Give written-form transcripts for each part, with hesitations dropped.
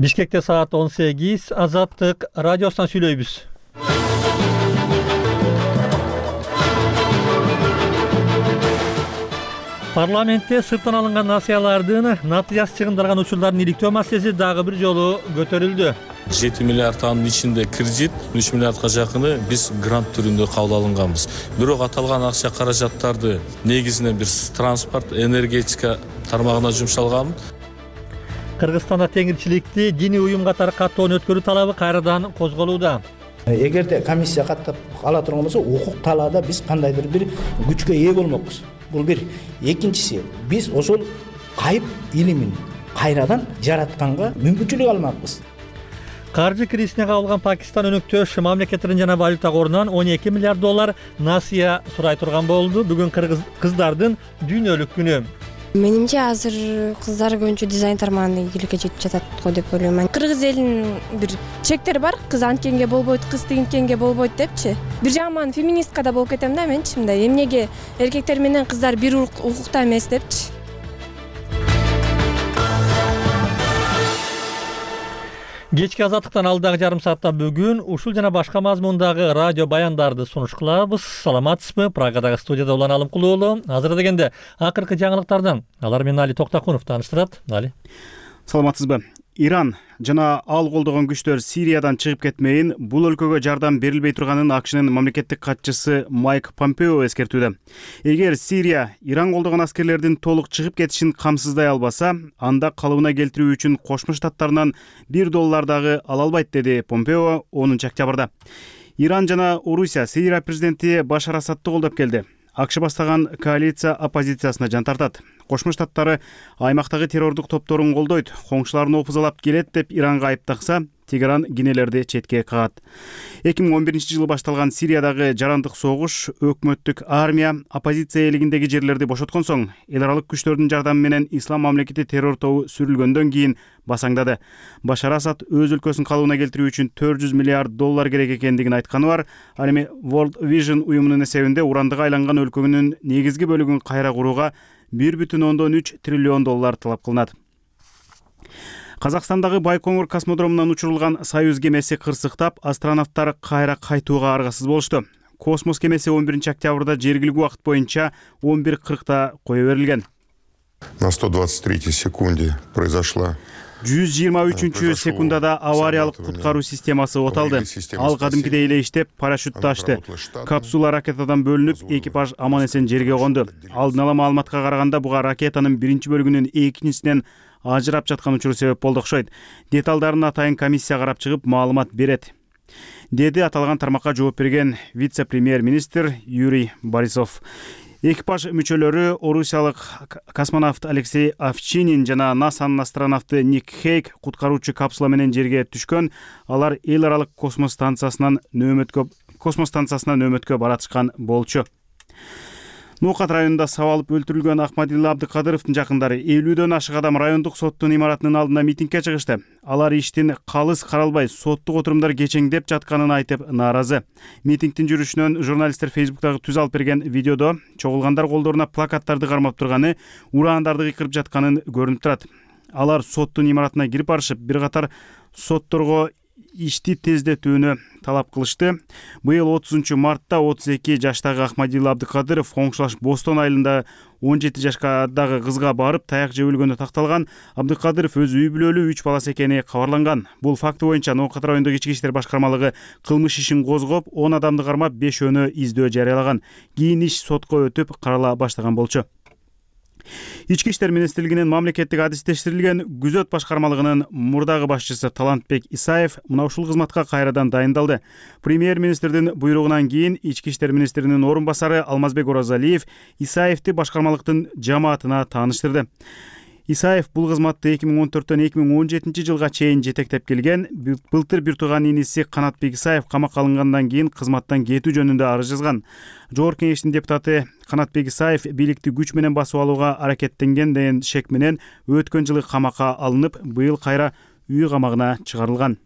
Бишкекте саат 18, Азаттык радиосунан сүйлөйбүз. Парламентте сырттан алынган насыялардын натыясы чыгындырган учурлардын иликтөө маселеси дагы бир жолу көтөрүлдү. 7 миллиард анын ичинде кредит, 3 миллиардга жакыны биз грант түрүндө кабыл алынганбыз. Бирок аталган акча каражаттарды негизинен бир транспорт, энергетика тармагына жумшалган. Кыргызстанда теңирчиликти диний уюм катары каттоон өткөрүү талабы кайрадан козголууда. Эгерде комиссия каттап ала турган болсо, укук талаада биз кандайдыр бир күчкө ээ болмокпуз. Бул бир. Экинчиси, биз ошол кайып илимин кайрадан жаратканга мүмкүнчүлүк алмакпыз. Каржы кризисине кабылган Пакистан өнөктөш мамлекеттерин жана валюта корунан 12 миллиард доллар насыя сурай турган болду. Бүгүн кыздардын дүйнөлүк күнү. Менимче азыр кыздар көбүнчө дизайн тармагына ийгиликке жетип жатат го деп ойлойм. Кыргыз элинин бир чектери бар. Кыз анткенге болбойт, кыз тигинткенге болбойт депчи. Бир жагынан феминистка да болуп кетем да менчи мындай. Эмнеге эркектер менен кыздар бир укукта эмес депчи. Кечки Азаттыктан алдагы жарым саатта бүгүн ушул жана башка мазмундагы радио баяндарды сунуш кылабыз. Саламатсызбы? Прагадагы студияда Улан Алымкулуу уулу. Азыр дегенде акыркы жаңылыктардан алар менен Али Токтакунов тааныштырат. Али. Саламатсызбы? Иран жана ал колдогон күчтөр Сириядан чыгып кетмейин, бул өлкөгө жардам берилбей турганын АКШнын мамлекеттик катчысы Майк Помпео эскертүүдө. Эгер Сирия Иран колдогон аскерлердин толук чыгып кетишин камсыздай албаса, анда калыбына келтирүү үчүн Кошмо Штаттарынан $1 дагы ала албайт, деди Помпео 10 октябрда. Иран жана Орусия Сирия президенти Башар Асадты колдоп келди. АКШ бастаган коалиция оппозициясына жан тартат. Кошмо Штаттары аймактагы террордук топторун колдойт, коңшуларын опузалап келет деп Иранга айыптакса, Тегеран кинелерди четке кагат. 2011-жылы башталган Сириядагы жарандык согуш, өкмөттүк армия оппозиция элигиндеги жерлерди бошоткон соң, эл аралык күчтөрдүн жардамы менен Ислам мамлекети террор тобу сүрүлгөндөн кийин басаңдады. Башар Асад өз өлкөсүн калыбына келтирүү үчүн $400 миллиард керек экендигин айтканы бар. Ал эми World Vision уюмунун эсебинде урандыга айланган өлкөнүн негизги бөлүгүн кайра курууга $1,3 триллион талап кылынат. Казакстандагы Байкоңур космодромунан учурулган Союз кемеси кырсыктап, астронавттар кайра кайтууга аргасыз болушту. Космос кемеси 11 октябрда жергиликтүү убакыт боюнча 11:40 кое берилген. На 123 секунде произошла 123 секундада авариялык куткаруу системасы оталды. Ал кадимкидей эле иштеп, парашютты ачты. Капсула ракетадан бөлүнүп, экипаж аман-эсен жерге конду. Алдын ала маалыматка караганда, буга ракетанын биринчи бөлүгүнүн экинчисинен ажырап жаткан учуру себеп болду окшойт. Деталдарын атайын комиссия карап чыгып маалымат берет, деди аталган тармакка жооп берген вице-премьер-министр Юрий Борисов. Экипаж мүчөлөрү орусиялык космонавт Алексей Овчинин жана НАСАнын астронавты Ник Хейк куткаруучу капсула менен жерге түшкөн. Алар эл аралык космос станциясынан нөөмөткө баратышкан болчу. Ноокат районунда сабалып өлтүрүлгөн Ахмадилла Абдыкадыровдун жакындары 50дөн ашык адам райондук соттун имаратынын алдына митингге чыгышты. Алар иштин калыс каралбай, соттук отурумдар кечеңдеп жатканын айтып нааразы. Митингдин жүрүшүнөн журналисттер Facebook'тагы түз алып берген видеодо чогулгандар колдоруна плакаттарды кармап турганы, ураандарды кыйкырып жатканын көрүнүп турат. Алар соттун имаратына кирип барышып, бир катар сотторго ишти тездетүүнү талап кылышты. Быйыл 30 мартта 32 жаштагы Ахмадилла Абдыкадыров коңшулаш Бостон айылында 17 жашкадагы кызга барып таяк жеп өлгөнү такталган. Абдыкадыров өз үй бүлөлүү 3 баласы экени кабарланган. Бул факты боюнча Ноокат райондук ички иштер башкармалыгы кылмыш ишин козгоп, 10 адамды кармап, 5-өнү издөө жарыялаган. Кийин иш сотко өтүп, карала баштаган болчу. Ички иштер министрлигинин мамлекеттик адистештирилген күзөт башкармалыгынын мурдагы башчысы Талантбек Исаев мына ушул кызматка кайрадан дайындалды. Премьер-министрдин буйругунан кийин ички иштер министринин орун басары Алмазбек Оразалиев Исаевди башкармалыктын жамаатына тааныштырды. Исаев бул кызматты 2014-төн 2017 жылга чейин жетектеп келген. Былтыр бир тууган иниси Канатбек Исаев камакка алынгандан кийин кызматтан кетүү жөнүндө арыз жазган. Жогорку кеңештин депутаты Канатбек Исаев бийликти күч менен басып алууга аракеттенген деген шек менен өткөн жылы камакка алынып, быйыл кайра үй камагына чыгарылган.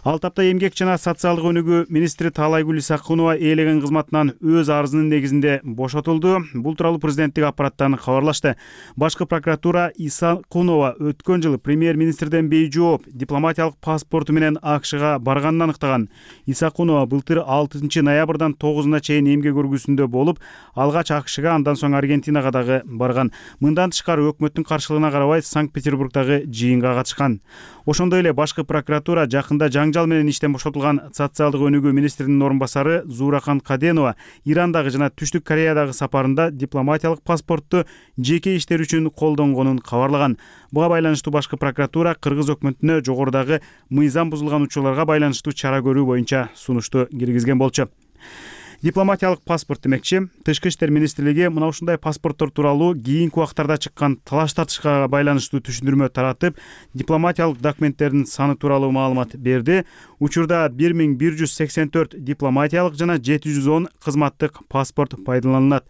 Ал тапта эмгек жана социалдык өнүгүү министри Таалайгүл Исакунова ээлеген кызматынан өз арызынын негизинде бошотулду. Бул тууралуу президенттик аппараттан кабарлашты. Башкы прокуратура Исакунова өткөн жылы премьер-министрден бейжооп дипломатиялык паспорту менен АКШга барганын аныктаган. Исакунова былтыр 6 ноябрдан 9 чейин эмгек өргүсүндө болуп, алгач АКШга, андан соң Аргентинага дагы барган. Мындан тышкары өкмөттүн каршылыгына карабай Санкт-Петербургдагы жыйынга катышкан. Ошондой эле башкы прокуратура жакында жаңжал менен иштен бошотулган социалдык өнүгүү министринин орун басары Зурахан Каденова Ирандагы жана Түштүк Кореядагы сапарында дипломатиялык паспортту жеке иштер үчүн колдонгонун кабарлаган. Буга байланыштуу башкы прокуратура кыргыз өкмөтүнө жогорудагы мыйзам бузулган учурларга байланыштуу чара көрүү боюнча сунушту киргизген болчу. Дипломатиялык паспорт демекчи, Тышкы иштер министрлиги мына ушундай паспорттор тууралуу кийинки убактарда чыккан талаш тартышка байланыштуу түшүндүрмө таратып, дипломатиялык документтердин саны тууралуу маалымат берди. Учурда 1184 дипломатиялык жана 710 кызматтык паспорт пайдаланылат.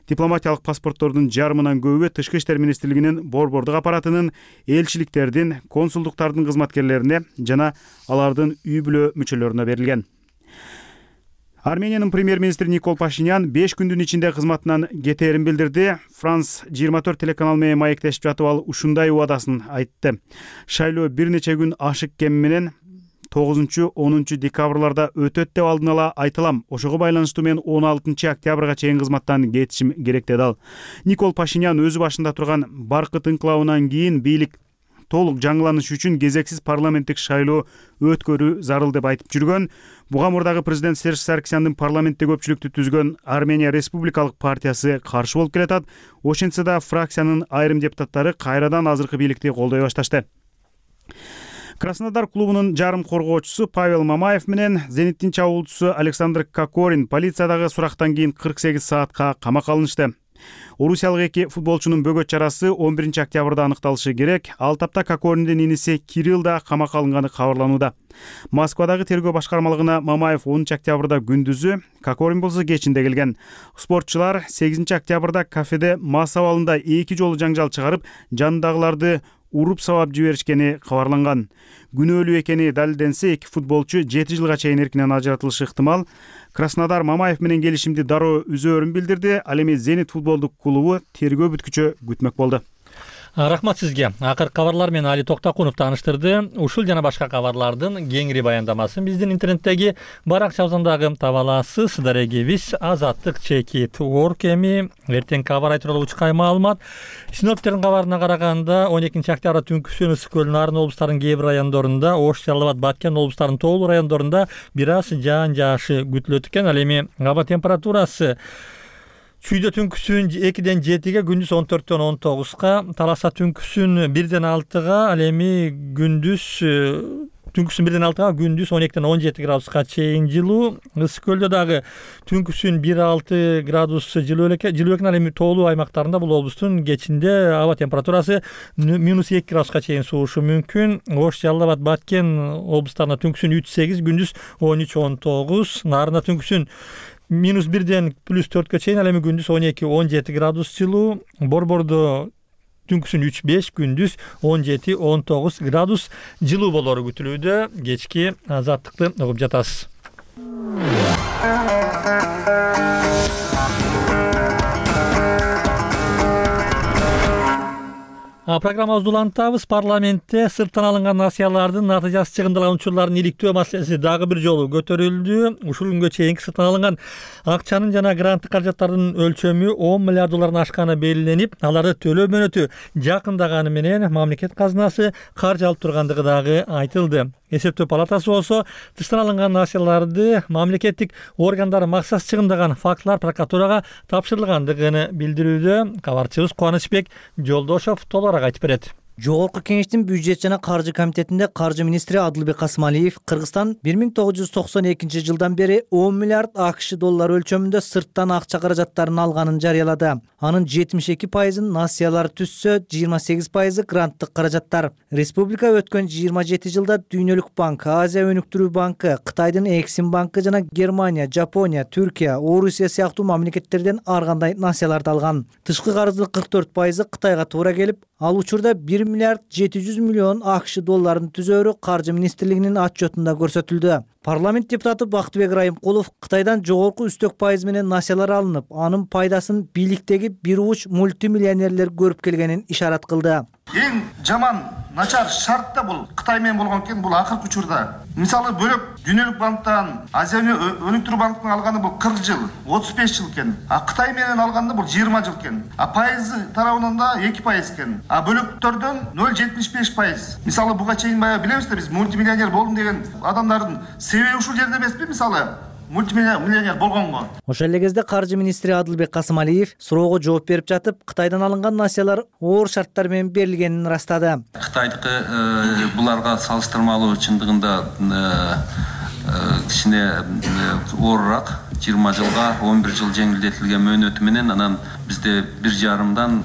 Дипломатиялык паспорттордун жарымынан көбү Тышкы иштер министрлигинин борбордук аппаратынын, элчиликтердин, консулдуктардын кызматкерлерине жана алардын үй бүлө мүчөлөрүнө берилген. Армениянын премьер-министри Никол Пашинян 5 күндүн ичинде кызматынан кетээрин билдирди. Франс 24 телеканал менен маектешип жатып ал ушундай убадасын айтты. Шайлоо бир нече күн ашык кем менен 9-10 декабрларда өтөт деп алдын ала айтылам. Ошого байланыштуу мен 16 октябрга чейин кызматтан кетишим керек деди ал. Никол Пашинян өзү башында турган баркыт инкылабынан кийин бийлик толук жаңыланыш үчүн кезексиз парламенттик шайлоо өткөрүү зарыл деп айтып жүргөн. Буга мурдагы президент Серж Саркисяндын парламентте көпчүлүктү түзгөн Армения Республикалык партиясы каршы болуп келатат. Ошентсе да фракциянын айрым депутаттары кайрадан азыркы бийликти колдой башташты. Краснодар клубунун жарым коргоочусу Павел Мамаев менен Зениттин чабуулчусу Александр Кокорин полициядагы сурактан кийин 48 саатка камакка алынышты. Орусиялык эки футболчунун бөгөт чарасы 11 октябрда аныкталышы керек. Ал тапта Кокориндин иниси Кирилл да камакка алынганы кабарланууда. Москвадагы тергөө башкармалыгына Мамаев 10 октябрда күндүзү, Кокорин болсо кечинде келген. Спортчулар 8 октябрда кафеде мас абалында 2 жолу жаңжал чыгарып, жанындагыларды уруп сабап жиберишкени кабарланган. Күнөөлүү экени далилденсе, эки футболчу 7 жылга чейин эркинен ажыратылышы ыктымал. Краснодар Мамаев менен келишимди дароо үзөөрүн билдирди. Ал эми Зенит футболдук клубу тергөө бүткүчө күтмөк болду. Рахмат сизге. Акыркы кабарлар менен Али Токтакунов тааныштырды. Ушул жана башка кабарлардын кеңири баяндамасын биздин интернеттеги баракчабыздагы таба аласыз. Дарегибиз Азаттык чекит орг эми эртең кабар тууралуу учкай маалымат. Синоптиктердин кабарына караганда 12 октябрда түнкүсүн ысык көл, Нарын облустарынын кээ бир райондорунда, Ош, Жалал Абад, Баткен облустарынын тоолуу райондорунда бир аз жаан жаашы күтүлөт экен. Ал эми аба температурасы Чүйдө түнкүсүн 2-ден 7-ге, күндүз 14-төн 19-га, Таласа түнкүсүн 1-ден 6-га, ал эми түнкүсүн 1-ден 6-га, күндүз 12-ден 17 градуска чейин жылуу. Ысык көлдө дагы түнкүсүн 1-6 градус жылуу экен. Ал эми тоолуу аймактарында бул облустун кечинде аба температурасы -2 градуска чейин суушу мүмкүн. Ош, Жалал Абад, Баткен облустарында түнкүсүн 3-8, күндүз 13-19, Нарында түнкүсүн -1-ден +4-кө чейин, ал эми күндүз 12-17 градус жылуу. Борбордо түнкүсүн 3-5, күндүз 17-19 градус жылуу болору күтүлүүдө. Кечки азаттыкты угуп жатасыз. Программабызды улантабыз. Парламентте сырттан алынган насыялардын натыйжасы чыгындалган учурлардын иликтөө маселеси дагы бир жолу көтөрүлдү. Ушул күнгө чейинки сырттан алынган акчанын жана гранттык каражаттардын өлчөмү 10 миллиард доллардан ашканы белгиленип, аларды төлөө мөөнөтү жакындаганы менен мамлекет казынасы каржы алып тургандыгы дагы айтылды. Эсептөө палатасы болсо тыштан алынган насыяларды мамлекеттик органдар максат чыгындаган фактылар прокуратурага тапшырылгандыгын билдирүүдө. Кабарчыбыз Кубанычбек Жолдошов толугураак айтып берет. Жогорку кеңештин бюджет жана каржы комитетинде каржы министри Адылбек Касымалиев Кыргызстан 1992 жылдан бери 10 миллиард АКШ доллары өлчөмүндө сырттан акча каражаттарын алганын жарыялады. Анын 72% насыялар түзсө, 28% гранттык каражаттар. Республика өткөн 27 жылда Дүйнөлүк банк, Азия өнүктүрүү банкы, Кытайдын Эксим банкы жана Германия, Жапония, Түркия, Орусия сыяктуу мамлекеттерден ар кандай насыяларды алган. Тышкы карыздын 44% Кытайга туура келип, ал учурда 1 1 миллиард 700 миллион АКШ долларын түзөөрү Каржы министрлигинин отчетунда көрсөтүлдү. Парламент депутаты Бактыбек Райымкулов Кытайдан жогорку үстөк пайыз менен насиялар алынып, анын пайдасын бийликтеги бир уч мультимиллионерлер көрүп келгенин ишарат кылды. Эң жаман начар шарт да бул Кытай менен болгон экен, бул акыркы учурда. Мисалы бөлөк Дүйнөлүк банктан, Азия өнүктүрүү банкынан алганы бул 40 жыл, 35 жыл экен. Кытай менен алганда бул 20 жыл экен. Пайызы тарабынан да 2% экен. Бөлөктөрдөн 0,75%. Мисалы буга чейин баягы билебиз да, биз мультимиллионер болдум деген адамдардын себеби ушул жерде эмеспи, мисалы мультимиллионер болгонго. Ошол эле кезде Каржы министри Адылбек Касымалиев суроого жооп берип жатып, Кытайдан алынган насиялар оор шарттар менен берилгенин ырастады. Кытайдыкы буларга салыштырмалуу чындыгында кичине оорураак, 20 жылга 11 жыл жеңилдетилген мөөнөтү менен, анан бизде 1,5%дан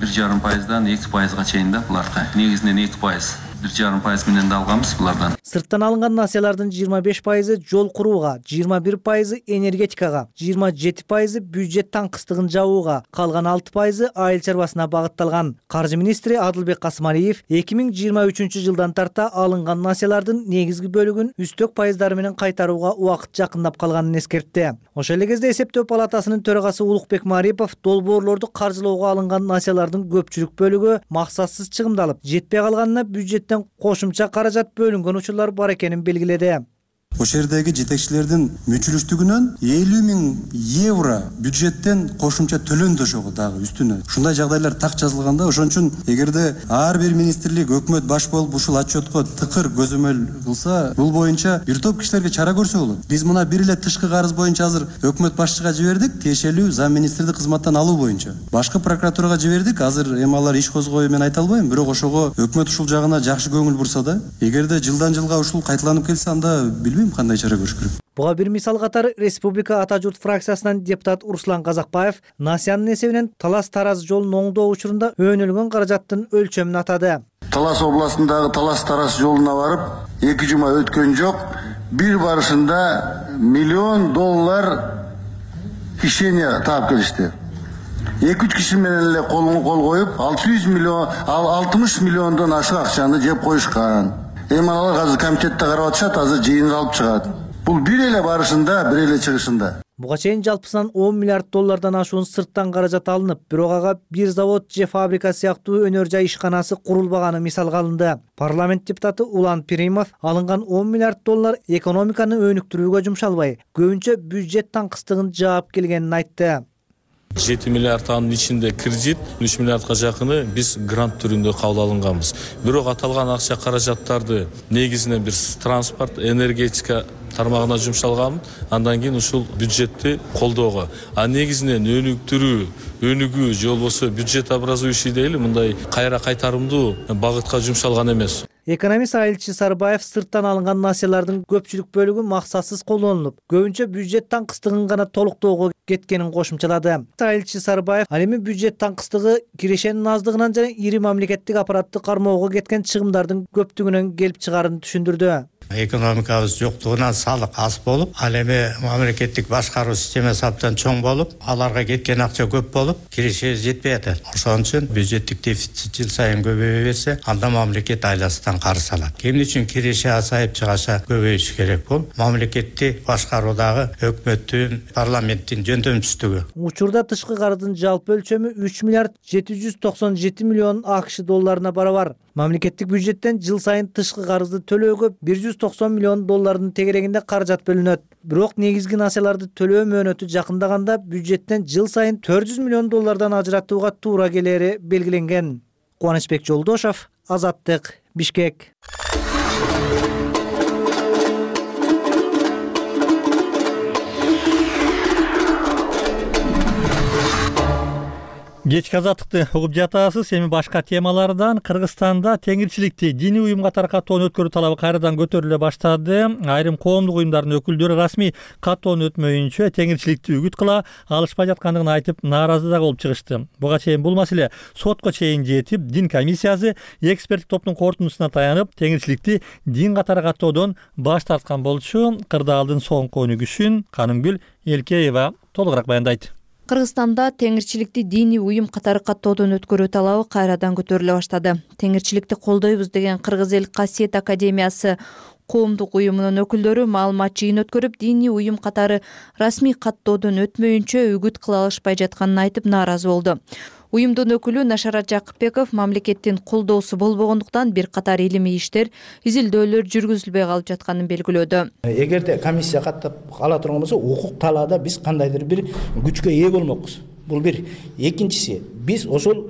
2%га чейин да буларга. Негизинен 2%. 1,5% менен да алганбыз булардан. Сырттан алынган насиялардын 25% жол курууга, 21% энергетикага, 27% бюджет таңкыстыгын жабууга, калган 6% айыл чарбасына багытталган. Каржы министри Адылбек Касымалиев 2023 жылдан тарта алынган насиялардын негизги бөлүгүн үстөк пайыздары менен кайтарууга убакыт жакындап калганын эскертти. Ошол эле кезде эсептөө палатасынын төрагасы Улукбек Марипов долбоорлорду каржылоого алынган насиялардын көпчүлүк бөлүгү максатсыз чыгымдалып, жетпей калганына бюджеттен кошумча каражат бөлүнгөн учурлар бар экенин белгиледи. Ошол жердеги жетекчилердин мүчүлүштүгүнөн 50 000 евро бюджеттен кошумча төлөндү ошого дагы үстүнө. Ушундай жагдайлар так жазылганда, ошон үчүн эгерде ар бир министрлик өкмөт баш болуп ушул отчетко тыкыр көзөмөл кылса, бул боюнча бир топ кишилерге чара көрсө болот. Биз мына бир эле тышкы карыз боюнча азыр өкмөт башчыга жибердик, тиешелүү зам министрди кызматтан алуу боюнча. Башкы прокуратурага жибердик, азыр эми алар иш козгою мен айта албайм, бирок ошого өкмөт ушул жагына жакшы көңүл бурса да, эгерде жылдан жылга ушул кайталанып келсе, анда билбейм кандай чара көрүш керек. Буга бир мисал катары Республика Ата журт фракциясынан депутат Руслан Казакбаев насиянын эсебинен Талас-Тараз жолун оңдоо учурунда өнүлгөн каражаттын өлчөмүн атады. Талас областындагы Талас-Тараз жолуна барып, 2 жума өткөн жок, бир барышында $1 миллион кишене таап келишти. 2-3 киши менен эле колго кол коюп, 60 миллиондон ашык акчаны жеп коюшкан. Эми алар азыр комитетте карап атышат, азыр жыйынга алып чыгат. Бул бир эле барышында, бир эле чыгышында. Буга чейин жалпысынан $10 миллиард ашуун сырттан каражат алынып, бирок ага бир завод же фабрика сыяктуу өнөр жай ишканасы курулбаганы мисалга алынды. Парламент депутаты Улан Пиримов алынган $10 миллиард экономиканы өнүктүрүүгө жумшалбай, көбүнчө бюджет таңкыстыгын жаап келгенин айтты. 7 миллиард анын ичинде кредит, 3 миллиардка жакыны биз грант түрүндө кабыл алынганбыз. Бирок аталган акча каражаттарды негизинен бир транспорт, энергетика тармагына жумшалган, андан кийин ушул бюджетти колдоого. Негизинен өнүгүү же болбосо бюджет образующий дейли, мындай кайра кайтарымдуу багытка жумшалган эмес. Экономист Айылчы Сарбаев сырттан алынган насиялардын көпчүлүк бөлүгү максатсыз колдонулуп, көбүнчө бюджет таңкыстыгын гана толуктоого кеткенин кошумчалады. Айылчы Сарбаев ал эми бюджет таңкыстыгы кирешенин аздыгынан жана ири мамлекеттик аппараттык кармоого кеткен чыгымдардын көптүгүнөн келип чыгаарын түшүндүрдү. Экономикабыз жоктугунан салык аз болуп, ал эми мамлекеттик башкаруу системасы абдан чоң болуп, аларга кеткен акча көп болуп, кирешебиз жетпей атат. Ошон үчүн бюджеттик дефицит жыл сайын көбөйө берсе, анда мамлекет айласынан карыз алат. Эмне үчүн киреше азайып чыгаша көбөйүш керек бул? Мамлекеттик башкаруудагы өкмөттүн, парламенттин жөндөмсүздүгү. Учурда тышкы карыздын жалпы өлчөмү $3 миллиард 797 миллион АКШ долларына барабар. Мамлекеттик бюджеттен жыл сайын тышкы карызды төлөөгө $190 миллион тегерегинде каражат бөлүнөт. Бирок негизги насияларды төлөө мөөнөтү жакындаганда бюджеттен жыл сайын $400 миллион ажыратууга туура келери белгиленген. Кубанычбек Жолдошов, Азаттык, Бишкек. Кечки азаттыкты угуп жатасыз. Эми башка темалардан Кыргызстанда теңирчиликти диний уюм катары каттоону өткөрүү талабы кайрадан көтөрүлө баштады. Айрым коомдук уюмдардын өкүлдөрү расмий каттоону өтмөйүнчө теңирчиликти үгүт кыла алышпай жаткандыгын айтып, нааразы да болуп чыгышты. Буга чейин бул маселе сотко чейин жетип, дин комиссиясы эксперттик топтун корутундусуна таянып, теңирчиликти дин катары каттоодон баш тарткан болчу. Кырдаалдын соңку өнүгүшүн Канымгүл Элкеева толугураак баяндайт. Кыргызстанда теңирчиликти диний уюм катары каттоодон өткөрүү талабы кайрадан көтөрүлө баштады. Теңирчиликти колдойбуз деген Кыргыз эл Касиет академиясы коомдук уюмунун өкүлдөрү маалымат жыйын өткөрүп, диний уюм катары расмий каттоодон өтмөйүнчө үгүт кыла алышпай жатканын айтып нааразы болду. Уюмдун өкүлү Нашарат Жакыпбеков мамлекеттин колдоосу болбогондуктан бир катар илимий иштер, изилдөөлөр жүргүзүлбөй калып жатканын белгилөөдө. Эгерде комиссия каттап ала турган болсо, укук талаада биз кандайдыр бир күчкө ээ болмокпуз. Бул бир. Экинчиси, биз ошол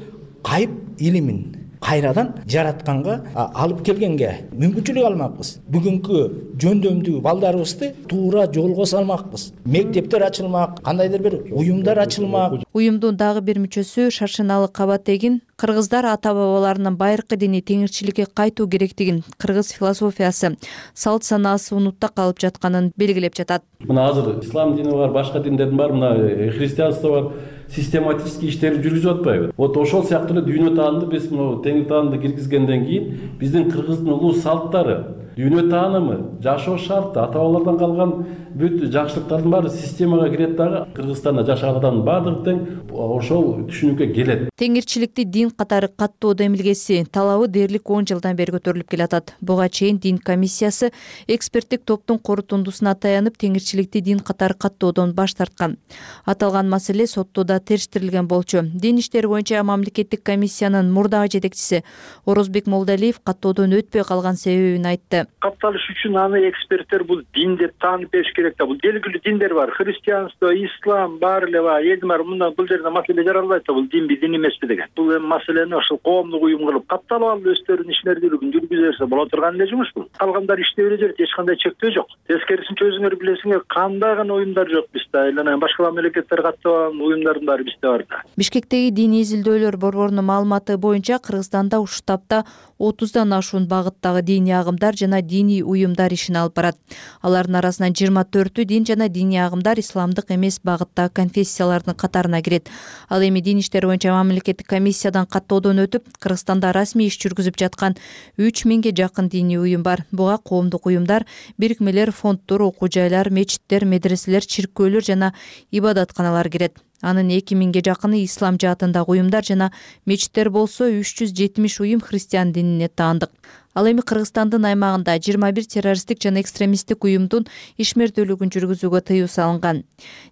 кайып илимин кайрадан жаратканга, алып келгенге мүмкүнчүлүк алмакпыз. Бүгүнкү жөндөмдүү балдарыбызды туура жолго салмакпыз. Мектептер ачылмак, кандайдыр бир уюмдар ачылмак. Уюмдун дагы бир мүчөсү Шаршыналы Кабатегин кыргыздар ата-бабаларынын байыркы дини теңирчиликке кайтуу керектигин, кыргыз философиясы, салт санаасы унутта калып жатканын белгилеп жатат. Мына азыр ислам дини бар, башка диндердин бар, мына христианство бар. Систематический иштерди жүргүзүп атпайбы? Вот ошол сыяктуу эле дүйнө таанымды биз мына теңир таанымды киргизгенден кийин биздин кыргыздын улуу салттары, дүйнө таанымы, жашоо шарты, ата-бабалардан калган бүт жакшылыктардын баары системага кирет дагы. Кыргызстанда жашаган адамдын баардыгы тең ошол түшүнүккө келет. Теңирчиликти дин катары каттоо демилгеси талабы дээрлик 10 жылдан бери көтөрүлүп келатат. Буга чейин дин комиссиясы эксперттик топтун корутундусуна таянып теңирчиликти дин катары каттоодон баш тарткан. Аталган маселе соттода териштирилген болчу. Дин иштери боюнча мамлекеттик комиссиянын мурдагы жетекчиси Орозбек Молдалиев каттоодон өтпөй калган себебин айтты. Катталыш үчүн аны эксперттер бул дин деп таанып бериш керек да. Бул белгилүү диндер бар. Христианство, ислам баары эле бар. Элдин баары мындан бул жерде маселе жаралбайт да. Бул динби, дин эмеспи деген. Бул эми маселени ошол коомдук уюм кылып катталып алып өздөрүнүн ишмердүүлүгүн жүргүзө берсе боло турган эле жумуш бул. Калгандар иштей бере берет, эч кандай чектөө жок. Тескерисинче өзүңөр билесиңер, кандай гана уюмдар жок бизде. Айлана башка мамлекеттер каттаган уюмдардын баары бизде бар да. Бишкектеги диний изилдөөлөр борборунун маалыматы боюнча Кыргызстанда ушул таапта 30дан ашуун багыттагы диний агымдар жана диний уюмдар ишин алып барат. Алардын арасынан 24 дин жана диний агымдар исламдык эмес багыттагы конфессиялардын катарына кирет. Ал эми дин иштери боюнча мамлекеттик комиссиядан каттоодон өтүп, Кыргызстанда расмий иш жүргүзүп жаткан 3000ге жакын диний уюм бар. Буга коомдук уюмдар, бирикмелер, фонддор, окуу жайлар, мечиттер, медреселер, чиркөөлөр жана ибадатканалар кирет. Анын 2000ге жакыны ислам жаатындагы уюмдар жана мечиттер болсо 370 уюм христиан динине таандык. Ал эми Кыргызстандын аймагында 21 террористтик жана экстремисттик уюмдун ишмердүүлүгүн жүргүзүүгө тыюу салынган.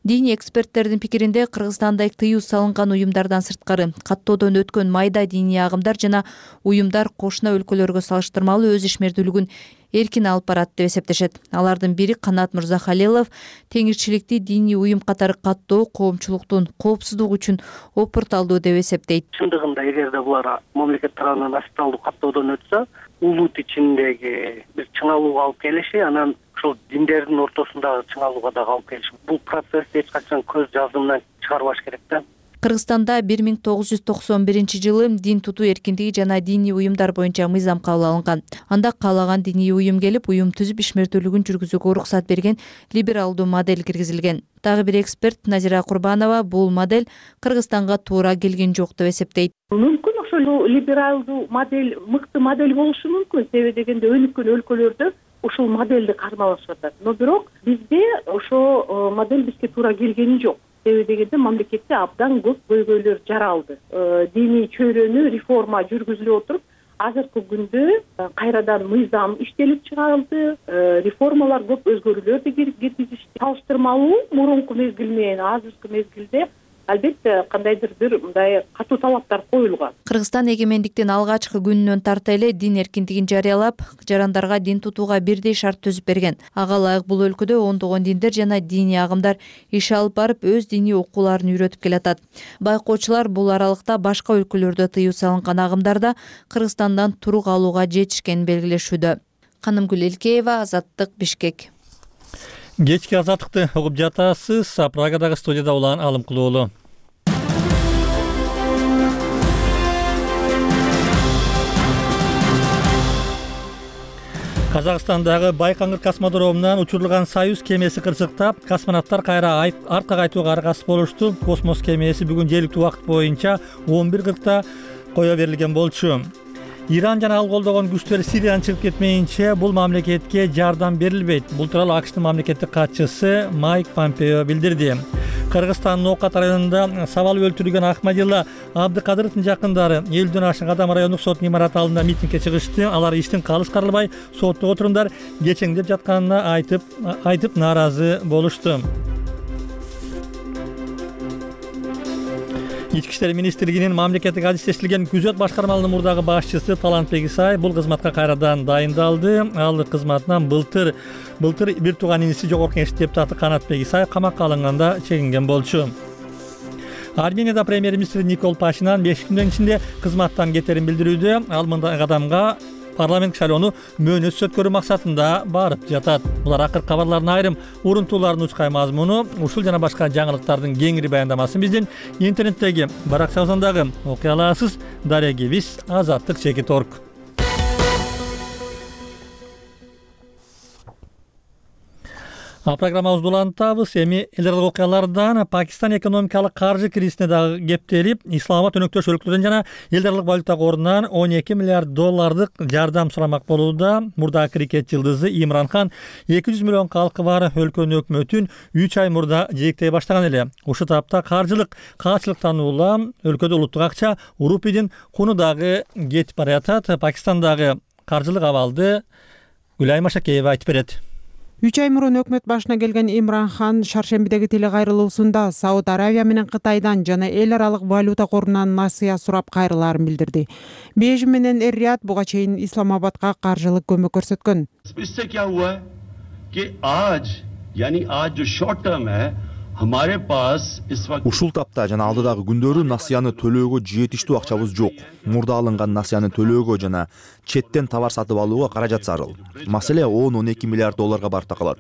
Диний эксперттердин пикиринде Кыргызстанда тыюу салынган уюмдардан сырткары каттоодон өткөн майда диний агымдар жана уюмдар кошуна өлкөлөргө салыштырмалуу өз ишмердүүлүгүн эркин алып барат деп эсептешет. Алардын бири Канат Мырзахалилов теңирчиликти диний уюм катары каттоо коомчулуктун коопсуздугу үчүн опурталдуу деп эсептейт. Чындыгында эгерде булар мамлекет тарабынан официалдуу каттоодон өтсө, улут ичиндеги бир чыңалууга алып келиши, анан ошол диндердин ортосундагы чыңалууга дагы алып келиши. Бул процессти эч качан көз жазымынан чыгарбаш керек да. Кыргызстанда 1991 жылы дин тутуу эркиндиги жана диний уюмдар боюнча мыйзам кабыл алынган. Анда каалаган диний уюм келип, уюм түзүп ишмердүүлүгүн жүргүзүүгө уруксат берген либералдуу модель киргизилген. Дагы бир эксперт Назира Курбанова бул модель Кыргызстанга туура келген жок деп эсептейт. Мүмкүн ошол либералдуу модель мыкты модель болушу мүмкүн. Себеби дегенде өнүккөн өлкөлөрдө ушул модельди кармалашып атат. Но бирок бизде ошол модель бизге туура келгени жок. Себеби дегенде мамлекетте абдан көп көйгөйлөр жаралды. Диний чөйрөнү реформа жүргүзүлүп отуруп, азыркы күндө кайрадан мыйзам иштелип чыгарылды, реформалар көп өзгөрүүлөрдү киргизишти. Салыштырмалуу мурунку мезгил менен азыркы мезгилде албетте кандайдыр бир мындай катуу талаптар коюлган. Кыргызстан эгемендиктин алгачкы күнүнөн тарта эле дин эркиндигин жарыялап, жарандарга дин тутууга бирдей шарт түзүп берген. Ага ылайык бул өлкөдө ондогон диндер жана диний агымдар иш алып барып, өз диний окууларын үйрөтүп келатат. Байкоочулар бул аралыкта башка өлкөлөрдө тыюу салынган агымдарда Кыргызстандан турук алууга жетишкенин белгилешүүдө. Канымгүл Элкеева, Азаттык, Бишкек. Кечки азаттыкты угуп жатасыз. Прагадагы студияда улан Алым Кулуулу. Казакстандагы Байкоңур космодромунан учурулган Союз кемеси кырсыктап, космонавттар кайра артка кайтууга аргасыз болушту. Космос кемеси бүгүн жергиликтүү убакыт боюнча 11:40 кое берилген болчу. Иран жана ал колдогон күчтөр Сириядан чыгып кетмейинче бул мамлекетке жардам берилбейт. Бул тууралуу АКШтын мамлекеттик катчысы Майк Помпео билдирди. Кыргызстандын Ноокат районунда сабалып өлтүрүлгөн Ахмадилла Абдыкадыровдун жакындары 50ден ашык адам райондук соттун имараты алдында митингге чыгышты. Алар иштин калыс каралбай соттогу отурумдар кечеңдеп жатканына айтып нааразы болушту. Ички иштер министрлигинин мамлекеттик адистештирилген күзөт башкармалыгынын мурдагы башчысы Талантбек Исаев бул кызматка кайрадан дайындалды. Ал кызматынан былтыр бир тууган иниси жогорку кеңеш депутаты Канатбек Исаев камакка алынганда чегинген болчу. Арменияда премьер-министр Никол Пашинян 5 күндөн ичинде кызматтан кетерин билдирүүдө. Ал мындай кадамга парламент шайлоону мөөнөтсүз өткөрүү максатында барып жатат. Булар акыркы кабарлардын айрым урунтууларынын учкай мазмуну. Ушул жана башка жаңылыктардын кеңири баяндамасын биздин интернеттеги Барак Саузандагы окуяларсыз дарегибиз Азаттык Чекит.орг. Программабызды улантабыз. Эми эл аралык окуялардан Пакистан экономикалык каржы кризисине дагы кептелип, Исламабад өнөктөш өлкөлөрдөн жана эл аралык валюта корунан $12 миллиард жардам сурамак болууда. Мурда крикет жылдызы Имран Хан 200 миллион калкы бар өлкөнүн өкмөтүн 3 ай мурда жээктей баштаган эле. Ушул тапта каржылык каачылыктан улам өлкөдө улуттук акча рупийдин куну дагы кетип бара жатат. Пакистандагы каржылык абалды Гүлай Машакеева айтып берет. 3 ай мурун өкмөт башына келген Имран Хан шаршембидеги телекайрылуусунда Сауд Аравия менен Кытайдан жана эл аралык валюта корунан насыя сурап кайрылаарын билдирди. Бейжин менен Эр-Рияд буга чейин Исламабадга каржылык көмөк көрсөткөн. Ушул тапта жана алдыдагы күндөрү насыяны төлөөгө жетиштүү акчабыз жок. Мурда алынган насыяны төлөөгө жана четтен товар сатып алууга каражат зарыл. Маселе $10-12 миллиард барып такалат.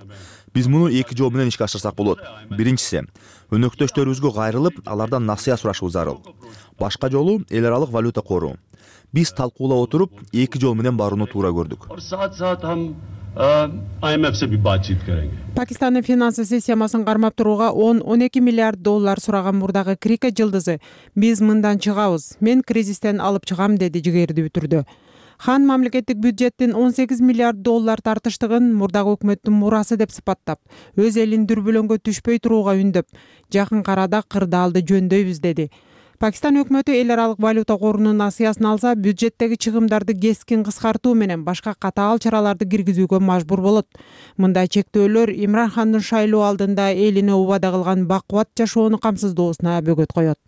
Биз муну эки жол менен ишке ашырсак болот. Биринчиси, өнөктөштөрүбүзгө кайрылып, алардан насыя сурашуу зарыл. Башка жолу эл аралык валюта кору. Биз талкуулап отуруп, эки жол менен барууну туура көрдүк. Пакистандын финансы системасын кармап турууга $10-12 миллиард сураган мурдагы крикет жылдызы биз мындан чыгабыз, мен кризистен алып чыгам деди жигердүү түрдө. Хан мамлекеттик бюджеттин $18 миллиард тартыштыгын мурдагы өкмөттүн мурасы деп сыпаттап, өз элин дүрбөлөңгө түшпөй турууга үндөп, жакын арада кырдаалды жөндөйбүз деди. Пакистан өкмөтү эл аралык валюта корунун насыясын алса, бюджеттеги чыгымдарды кескин кыскартуу менен башка катаал чараларды киргизүүгө мажбур болот. Мындай чектөөлөр Имран Хандын шайлоо алдында элине убада кылган бакубат жашоону камсыздоосуна бөгөт коет.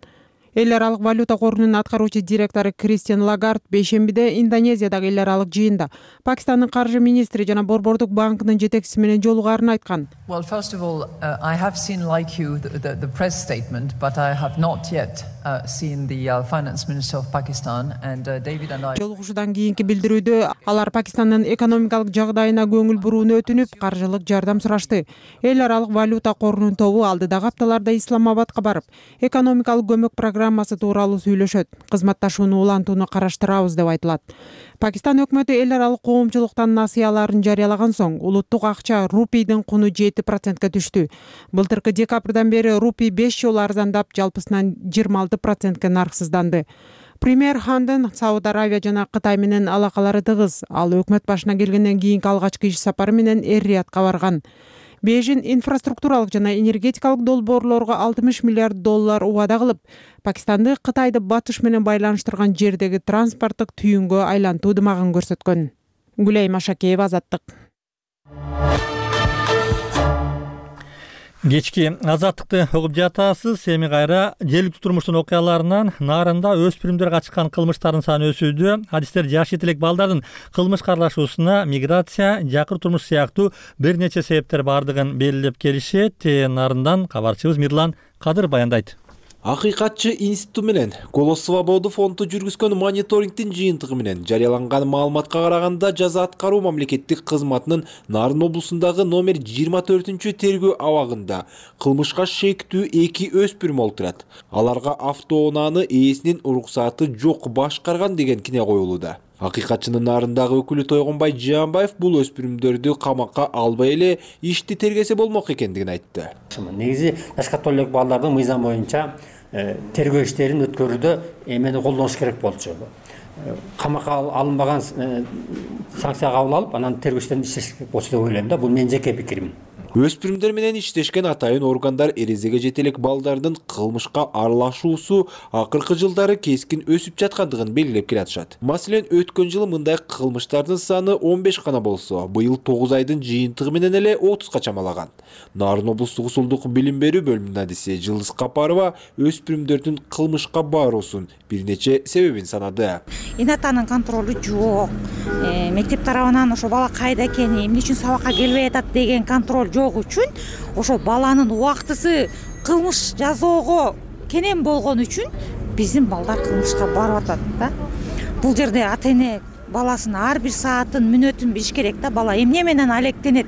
Эл аралык валюта корунун аткаруучу директору Кристиан Лагард бейшембиде Индонезиядагы эл аралык жыйында Пакистандын каржы министри жана Борбордук банкынын жетекчиси менен жолугаарын айткан. Well, first of all, I have seen, like you, the press statement, but I have not yet seen the finance minister of Pakistan, and David and I. Жолугушуудан кийинки билдирүүдө алар Пакистандын экономикалык жагдайына көңүл бурууну өтүнүп, каржылык жардам сурашты. Эл аралык валюта корунун тобу алдыдагы апталарда Исламабадка барып, экономикалык көмөк программасы тууралуу сүйлөшөт. Кызматташууну улантууну караштырабыз деп айтылат. Пакистан өкмөтү эл аралык коомчулуктан насыяларын жарыялаган соң, улуттук акча рупийдин куну 7%ке түштү. Былтыркы декабрдан бери рупий 5 жолу арзандап, жалпысынан 26%ке нарксызданды. Премьер Хандын Сауд Аравия жана Кытай менен алакалары тыгыз. Ал өкмөт башына келгенден кийинки алгачкы иш сапары менен Эр-Риядка барган. Бейжин инфраструктуралык жана энергетикалык долбоорлорго $60 миллиард убада кылып, Пакистанды Кытайды батыш менен байланыштырган жердеги транспорттук түйүнгө айлантуу дымагын көрсөткөн. Гүлай Машакеева, Азаттык. Кечки Азаттыкты угуп жатасыз. Эми кайра жергиликтүү турмуштун окуяларынан Нарында өспүрүмдөр качкан кылмыштардын саны өсүүдө. Адистер жаш жетелек балдардын кылмышка аралашуусуна миграция, жакыр турмуш сыяктуу бир нече себептер бардыгын белгилеп келишет. Нарындан кабарчыбыз Мирлан Кадыр баяндайт. Акыйкатчы институту менен Голос Свободы фонду жүргүзгөн мониторингдин жыйынтыгы менен жарыяланган маалыматка караганда жаза аткаруу мамлекеттик кызматынын Нарын облусундагы номер 24 тергөө абагында кылмышка шектүү 2 өспүрүм олтурат. Аларга автоунааны ээсинин уруксаты жок башкарган деген кине коюлууда. Акыйкатчынын Нарындагы өкүлү Тойгонбай Жаанбаев бул өспүрүмдөрдү камакка албай эле ишти тергесе болмок экендигин айтты. Негизи жаш католик балдардын мыйзам боюнча тергөө иштерин өткөрүүдө эмени колдоnuш керек болчу. Камакка алынбаган санкция кабыл алып, анан тергөө иштерин иштеш керек болчу деп ойлойм да. Бул менин жеке пикирим. Өспүрүмдөр менен иштешкен атайын органдар эрезеге жете элек балдардын кылмышка аралашуусу акыркы жылдары кескин өсүп жаткандыгын белгилеп келатышат. Маселен, өткөн жылы мындай кылмыштардын саны 15 гана болсо, быйыл 9 айдын жыйынтыгы менен эле 30га чамалаган. Нарын облустук усулдук билим берүү бөлүмүнүн адиси Жылдыз Капарова өспүрүмдөрдүн кылмышка баруусунун бир нече себебин санады. Инатанын контролу жок. Мектеп тарабынан ошо бала кайда экени, эмне үчүн сабакка келбей атат деген контроль жок үчүн ошо баланын убактысы кылмыш жасоого кенен болгон үчүн биздин балдар кылмышка барып атат да. Бул жерде ата-эне баласынын ар бир саатын, мүнөтүн билиш керек да. Бала эмне менен алектенет,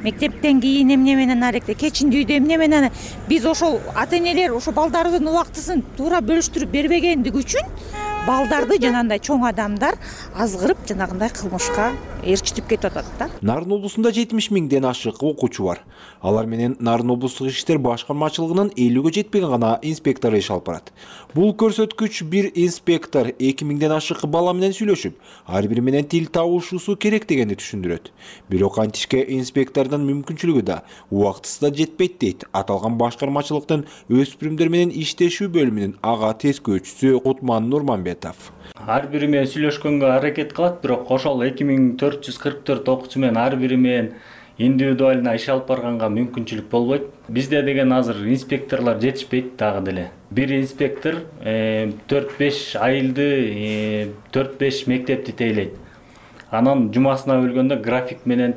мектептен кийин эмне менен алектенет, кечиндүйдө эмне менен. Биз ошол ата-энелер ошо балдардын убактысын туура бөлүштүрүп бербегендиги үчүн балдарды жанагындай чоң адамдар азгырып жанагындай кылмышка ээрчитип кетип атат да. Нарын облусунда 70 миңден ашык окуучу бар. Алар менен Нарын облустук иштер башкармачылыгынын 50ге жетпеген гана инспектору иш алып барат. Бул көрсөткүч бир инспектор 2000ден ашык бала менен сүйлөшүп, ар бири менен тил табышуусу керек дегенди түшүндүрөт. Бирок антишке инспектордун мүмкүнчүлүгү да, убактысы да жетпейт дейт аталган башкармачылыктын өспүрүмдөр менен иштешүү бөлүмүнүн ага тескөөчүсү Кутман Нурманбетов. Ар бири менен сүйлөшкөнгө аракет кылат, бирок ошол 2444 окуучу менен ар бири менен индивидуально иш алып барганга мүмкүнчүлүк болбойт. Бизде деген азыр инспекторлор жетишпейт дагы деле. Бир инспектор 4-5 айылды, 4-5 мектепти тейлейт. Анан жумасына бөлгөндө график менен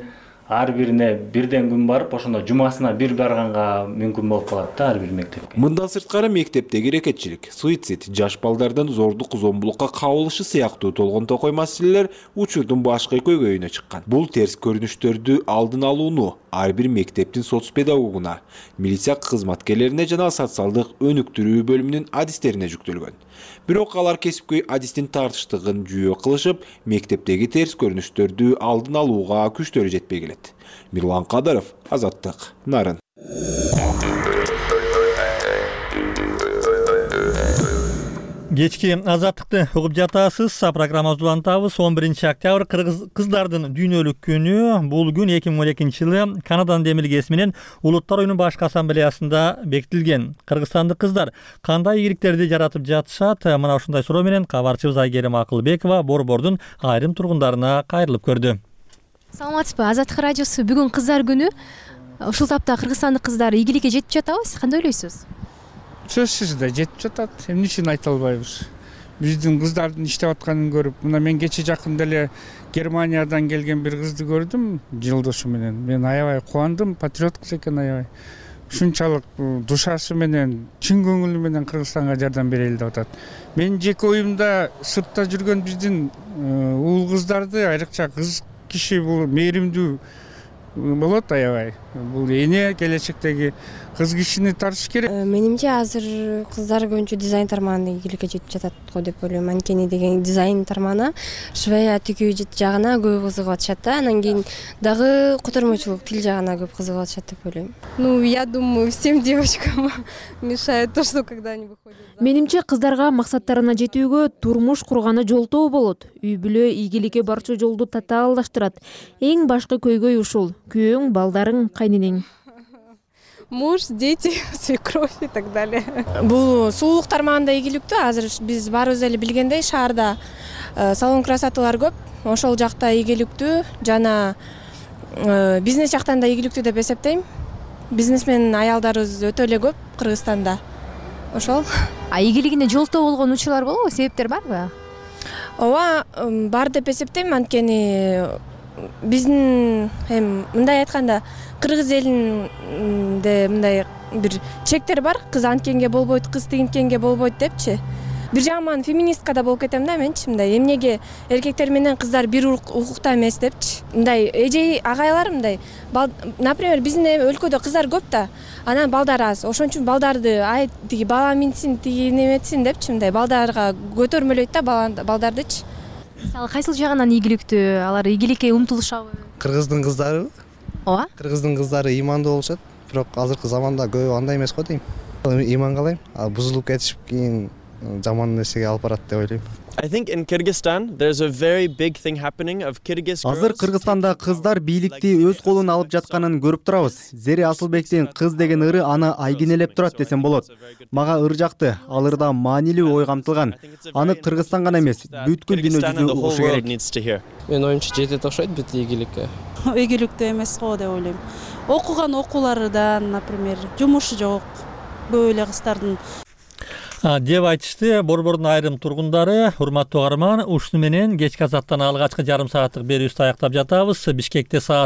ар бирине бирден күн барып, ошондо жумасына бир барганга мүмкүн болуп калат да ар бир мектепке. Мындан сырткары мектептеги рекетчилик, суицид, жаш балдардын зордук зомбулукка кабылышы сыяктуу толгон токой маселелер учурдун башкы көйгөйүнө чыккан. Бул терс көрүнүштөрдү алдын алууну ар бир мектептин соц педагогуна, милиция кызматкерлерине жана социалдык өнүктүрүү бөлүмүнүн адистерине жүктөлгөн. Бирок алар кесипкөй адистин тартыштыгын жүйө кылышып, мектептеги терс көрүнүштөрдү алдын алууга күчтөрү жетпей келет. Мирлан Кадыров, Азаттык, Нарын. Кечки Азаттыкты угуп жатасыз. Программабызды улантабыз. 11 октябрь кыздардын дүйнөлүк күнү. Бул күн 2012-жылы Канаданын демилгеси менен Улуттар оюнунун башкы ассамблеясында бекитилген. Кыргызстандык кыздар кандай ийгиликтерди жаратып жатышат? Мына ушундай суроо менен кабарчыбыз Айгерим Акылбекова борбордун айрым тургундарына кайрылып көрдү. Саламатсызбы? Азаттык радиосу бүгүн кыздар күнү. Ушул тапта кыргызстандык кыздар ийгиликке жетип жатабы? Кандай ойлойсуз? Сөзсүз да жетип жатат. Эмне үчүн айта албайбыз? Биздин кыздардын иштеп атканын көрүп, мына мен кече жакында эле Германиядан келген бир кызды көрдүм, жылдошу менен. Мен аябай кубандым, патриот кыз экен аябай. Ушунчалык душасы менен, чын көңүлү менен Кыргызстанга жардам берели деп атат. Мен жеке оюмда сыртта жүргөн биздин уул кыздарды, айрыкча кыз киши бул мээримдүү болот аябай. Бул эне келечектеги кыз кишини тартыш керек. Менимче азыр кыздар көбүнчө дизайн тармагында ийгиликке жетип жатат го деп ойлойм. Анткени деген дизайн тармагына, швея тигүү жагына көп кызыгып атышат да. Анан кийин дагы котормочулук, тил жагына көп кызыгып атышат деп ойлойм. Я думаю, всем девочкам мешает то, что когда они выходят. Менимче кыздарга максаттарына жетүүгө турмуш курганы жолтоо болот. Үй бүлө ийгиликке барчу жолду татаалдаштырат. Эң башкы көйгөй ушул. Күйөөң, балдарың, кайненең. Муж, дети, свекровь и так далее. Бул сулуулук тармагында ийгиликтүү. Азыр биз баарыбыз эле билгендей шаарда салон красоталар көп. Ошол жакта ийгиликтүү жана бизнес жактан да ийгиликтүү деп эсептейм. Бизнесмен аялдарыбыз өтө эле көп Кыргызстанда. Ошол. Ийгилигине жолтоо болгон учурлар болобу? Себептер барбы? Ооба, бар деп эсептейм. Анткени биздин мындай айтканда кыргыз элинде мындай бир чектер бар. Кыз анткенге болбойт, кыз тигинткенге болбойт депчи. Бир жагынан феминистка да болуп кетем да менчи. Мындай эмнеге эркектер менен кыздар бир укукта эмес депчи. Мындай эжей агайлар мындай, например, биздин өлкөдө кыздар көп да, анан балдар аз. Ошон үчүн балдарды тиги бала минсин, тиги неметсин депчи, мындай балдарга көтөрмөлөйт да балдардычы. Мисалы кайсыл жагынан ийгиликтүү? Алар ийгиликке умтулушабы? Кыргыздын кыздары. Ооба. Кыргыздын кыздары ыймандуу болушат, бирок азыркы заманда көбү андай эмес го дейм. Ыйман калайм, бузулуп кетишип кийин жаман нерсеге алып барат деп ойлойм. I think in Kyrgyzstan there's a very big thing happening of Kyrgyz girls. Азыр Кыргызстанда кыздар бийликти өз колуна алып жатканын көрүп турабыз. Зере Асылбектин кыз деген ыры аны айгинелеп турат десем болот. Мага ыр жакты, ал ырда маанилүү ой камтылган. Аны Кыргызстан гана эмес, бүткүл дүйнө жүзү угушу керек. Менин оюмча жетет окшойт бүт ийгиликке. Ийгиликтүү эмес го деп ойлойм. Окуган окууларыдан, например, жумушу жок көп эле кыздардын деп айтышты Борбордун айрым тургундары. Урматтуу угарман, ушуну менен кечки азаттан алгачкы жарым сааттык берүүбүздү аяктап жатабыз. Бишкекте саат